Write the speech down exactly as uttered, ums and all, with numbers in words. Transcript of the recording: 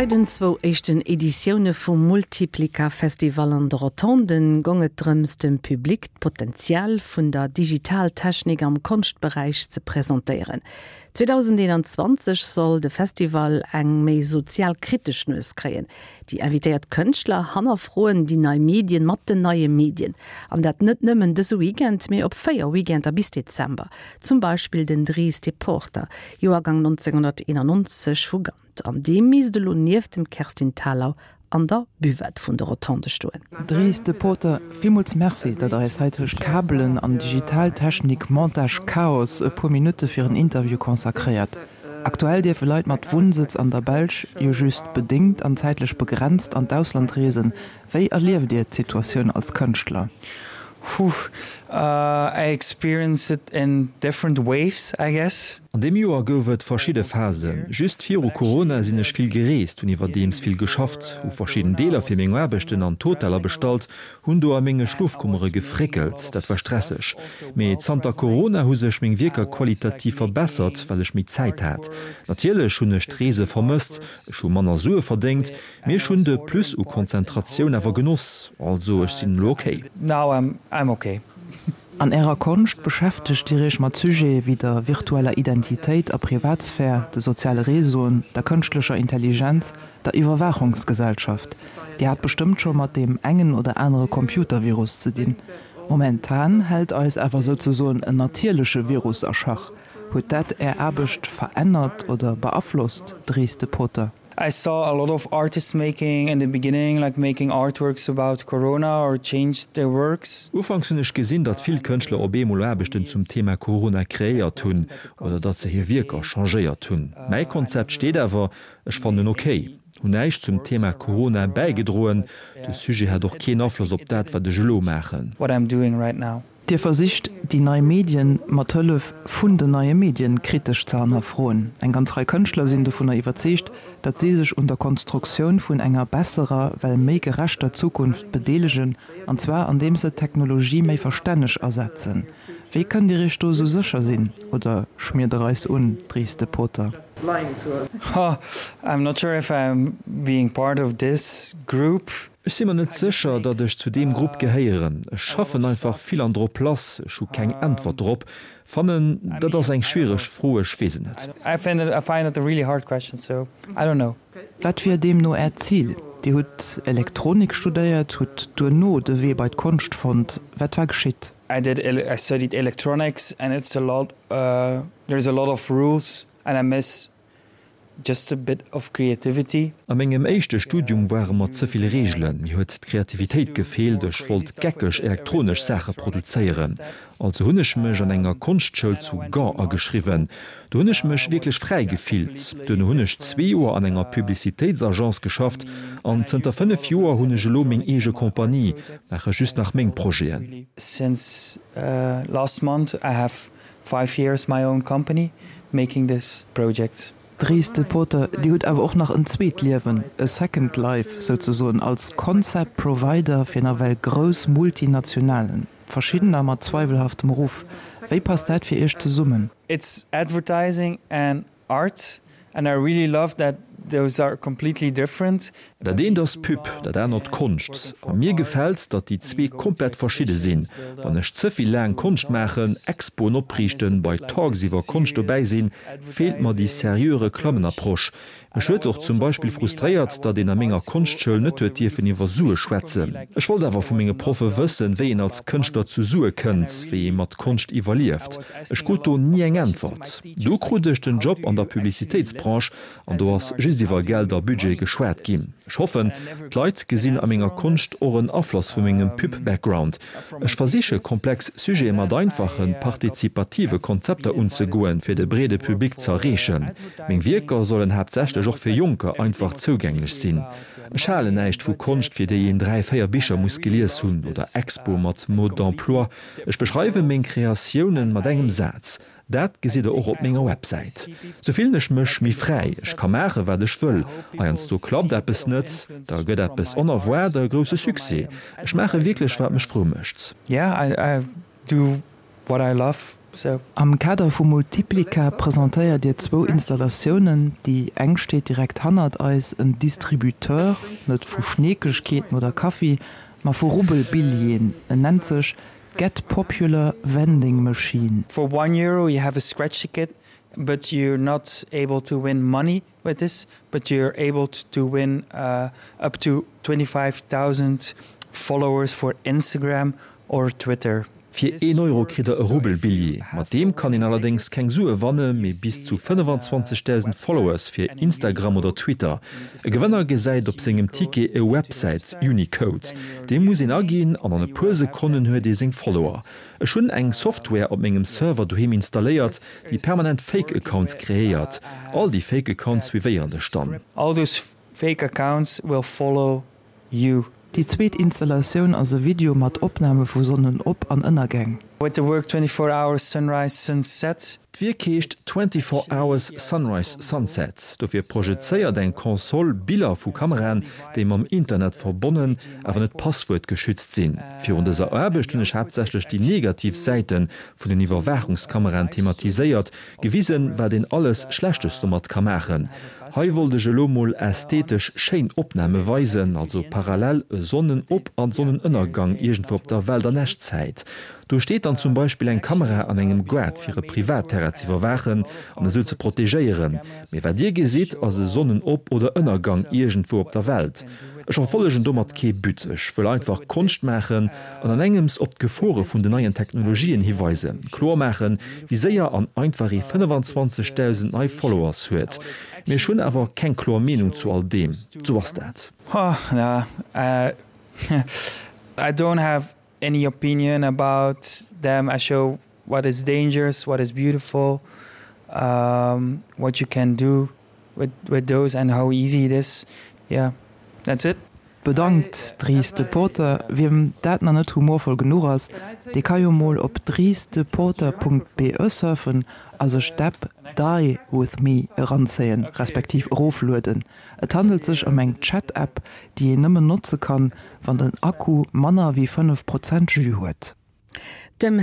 Bei den zwou éischten Editioune vum Multiplica Festival an de Rotonden goung et drëms, dem Public d'Potenzial vun der Digitaltechnik am Konschtberäich ze presentéieren. zweedausendeenanzwanzeg soll de Festival eng méi sozialkritesch Nues kréien. Déi invitéiert Kënschtler hannerfroen déi nei Medien mat den neie Medien. An dat net nëmmen dëse Weekend, mee op véier Weekender bis Dezember. Zum Beispill den Dries Depoorter, Joergang nonzénghonnerteenannonzeg vu Gand. An dee misst elo nieft dem Kerstin Thalau an der Buvette vun de Rotondë stoen. Dries De Pooter, villmools Merci, datt Der eis hei tëscht Kabelen an Digitaltechnik, Montage, Chaos e puer Minutte fir en Interview consacréiert. Aktuell dierfe Leit mat Wunnsëtz an der Belsch jo just bedéngt an zäitlech begrenzt an d'Ausland reesen. Wéi erlieft Dir d'Situatioun als Kënschtler? Whew, I experience it in different waves, I guess. An deem Joer gouf et verschidde Phasen. Just viru Corona sinn ech vill gereest, hunn iwwerdeems vill geschafft, hu verschidden Deeler fir meng Aarbechten an d'Hoteller bestallt, hunn do a menge Schlofkummere gefréckelt. Dat war stresseg. Mee zanter Corona hu sech meng Wierker qualitativ verbessert, well ech méi Zäit hat. Natierlech hunn ech d'Reese vermësst, ech hu manner Sue verdéngt, mee ech hunn de Plus u Konzentratioun awer genoss. Also ech sinn elo ok. Now I'm okay. An Ärer Konscht beschäftegt Dir Iech mat Sujete wéi der virtueller Identitéit a Privatsphär, de soziale Réseauen, der kënschtlecher Intelligenz, der Iwwerwaachungsgesellschaft. Dir hat bestëmmt scho mat deem engen oder anere Computervirus ze dinn. Momentan hält eis awer souzesoen en natierleche Virus a Schach. Huet dat Är Aarbecht verännert oder beaflosst, Dries De Pooter? I saw a lot of artists making in the beginning like making artworks about corona or changed their works. Ufanks hunn ech gesinn, datt vill Kënschtler op eemol Aarbechten zum Thema Corona kreéiert hunn oder datt se hir Wierker changéiert hunn. Mäi Konzept steet awer, ech fannen ok. Hunn näischt zum Thema Corona bäigedroen. De Sujet hat och keen Afloss op dat, wat ech elo maachen. What I'm doing right now. Dir versicht, déi nei Medien mat Hëllef vun den neie Medien kritesch ze hannerfroen. Eng ganz Rei Kënschtler sinn dovunner iwwerzeegt, datt si sech un der Konstruktioun vun enger besserer, well méi gerechter Zukunft bedeelegen, an zwar andeems se d'Technologie méi verstänneg asetzen. Wéi kënnt Dir Iech do esou sécher sinn? Oder schmiert Der eis un, Dries De Pooter? I'm not sure if I'm being part of this group. Ech si mer net sécher, datt ech zu deem Grupp gehéieren. Ech schaffen einfach vill an drop lass. Ech hu keng Äntwert drop. Fannen, dat ass eng schwiereg Fro, ech weess et net. I find it, I find it a really hard question, so I don't know. Wat wier deemno Äert Zil? Dir hutt Elektronik studéiert, hutt duerno de Wee bei d'Konscht fonnt. Wat war geschitt? I did, I studied electronics and it's a lot, there's a lot of rules and I miss just a bit of creativity. A mengem éischte Studium ware mer ze vill Reegelen, mir huet d'Kreativitéit gefeelt, ech wollt geckeg elektronesch Saache produzéieren. Also hunn ech mech an enger Konschtschoul zu Gand ageschriwwen. Do hunn ech mech wierklech fräi gefillt. Duerno hunn ech zwee Joer an enger Publicitéitsagence geschafft an zënter fënnef Joer hunn ech elo meng eege Compagnie, maache just nach meng Projeten. Since last month I have five years my own company making this projects. Dries De Pooter, Dir hutt awer och nach en zweet Liewen, e second life souzesoen, als Concept Provider fir nawell grouss Multinationalen, verschiddener mat zweiwelhaftem Ruff. Wéi passt dat fir Iech zesummen? It's advertising and art and I really love that those are completely different. Dat eent ass Pub, dat anert Konscht. A mir gefält, datt déi zwee komplett verschidde sinn. Wann ech ze vill laang Konscht maachen, Expoen opriichten, bei Talks iwwer Konscht dobäi sinn, feelt mer déi seriö Reklammenapproche. Mech huet och zum Beispill frustréiert, datt een a menger Konschtschoul net huet dierfen iwwer Sue schwätzen. Ech wollt awer vu menge Proffe wëssen, wéi een als Kënschtler zu Sue kënnt, wéi ee mat Konscht iwwerlieft. Ech krut do ni eng Äntwert. Du krut ech den Job an der Publicitéitsbranche an do ass just iwwer Geld a Budget geschwat ginn. Ech hoffen, d'Leit gesinn a menger Konscht och en Afloss vu mengem Pub-Background. Ech versiche komplex Sujete mat einfachen, partizipative Konzepter unzegoen, fir de breede Public z'erreechen. Meng Wierker sollen haaptsächlech och fir Jonker einfach zougänglech sinn. Ech halen näischt vu Konscht, fir déi een dräi, véier Bicher muss gelies hunn, oder Expoe mat Mode d'emploi. Ech beschreiwe meng Kreatiounen mat engem Saz. Dat gesitt der och op menger Websäit. Sou fillen ech mech méi fräi, ech ka maachen, wat ech wëll. Heiansdo klappt eppes net, da gëtt eppes onerwaart e grousse Succès. Ech maache wierklech, wat mech frou mécht. Yeah, I do what I love So. Am Kader vu Multiplica presentéiert Dir zwou Installatiounen. Déi eng steet direkt hannert eis, en Distributeur, net vu Schneekegkeeten oder Kaffi, ma vu Rubbelbilljeeën. En nennt sech Get Popular Vending Machine. For one euro you have a scratch ticket, but you're not able to win money with this, but you're able to win uh, up to twenty-five thousand followers for Instagram or Twitter. Fir een Euro kritt der e Rubbelbilljee. Mat deem kann een allerdéngs keng Sue wanne mee bis zu fënnefenzwanzegdausend Followers fir Instagram oder Twitter. E Gewënner gesäit op sengem Ticket e Websäit Unicode. Dee muss een aginn an an e puer Sekonnen huet ee seng Follower. Ech hunn eng Software op mengem Server doheem installéiert, déi permanent Fake Accounts kreéiert. All déi Fake Accounts suivéieren dech dann. All those fake accounts will follow you. Déi zweet Installatioun ass e Video mat Opname vu Sonnenop an ënnergäng. With the work twenty four hours sunrise sunset. D'Wierk heescht twenty four hours sunrise sunset. Dofir projezéiert eng Konsol Biller vu Kameraen, déi mam Internet verbonnen, awer net passwuertgeschützt sinn. Virun dëser Aarbecht hunn ech haaptsächlech déi negativ Säite vun den Iwwerwaachungskameraen thematiséiert, gewisen, wat een alles Schlechtes domat ka maachen. Hei wollt ech elo mol ästhetesch schéin Opname weisen, also parallel e Sonnenop an Sonnenënnergang iergendwou op der Welt an Echtzäit. Do steet dann zum Beispill eng Kamera an engem Gaart fir e Privatterrain z'iwwerwaachen an esou ze protegéieren. Mee wat dir gesitt ass e Sonnenop oder Ënnergang iergendwou op der Welt. Ech verfollegen domat kee But, ech wëll einfach Konscht maachen an an engems op d'Gefore vun den neien Technologien hiweisen, kloer maachen, wéi séier an einfach ee fënnefenzwanzegdausend nei Followers huet. Mee ech hunn awer keng kloer Meenung zu all deem, sou ass dat. I don't have any opinion about them. I show what is dangerous, what is beautiful, um, what you can do with, with those and how easy it is. Yeah, that's it. Bedankt Dries De Pooter. Wiem dat nach net humorvoll genuch ass, dee ka jo mol op driesdepoorter punkt be surfen a sech d'App Die With Me eranzéien, respektiv eroflueden. Et handelt sech ëm eng Chat-App, déi een nëmmen notze kann, wann den Akku manner wéi fënnef Prozent Jus huet. Dem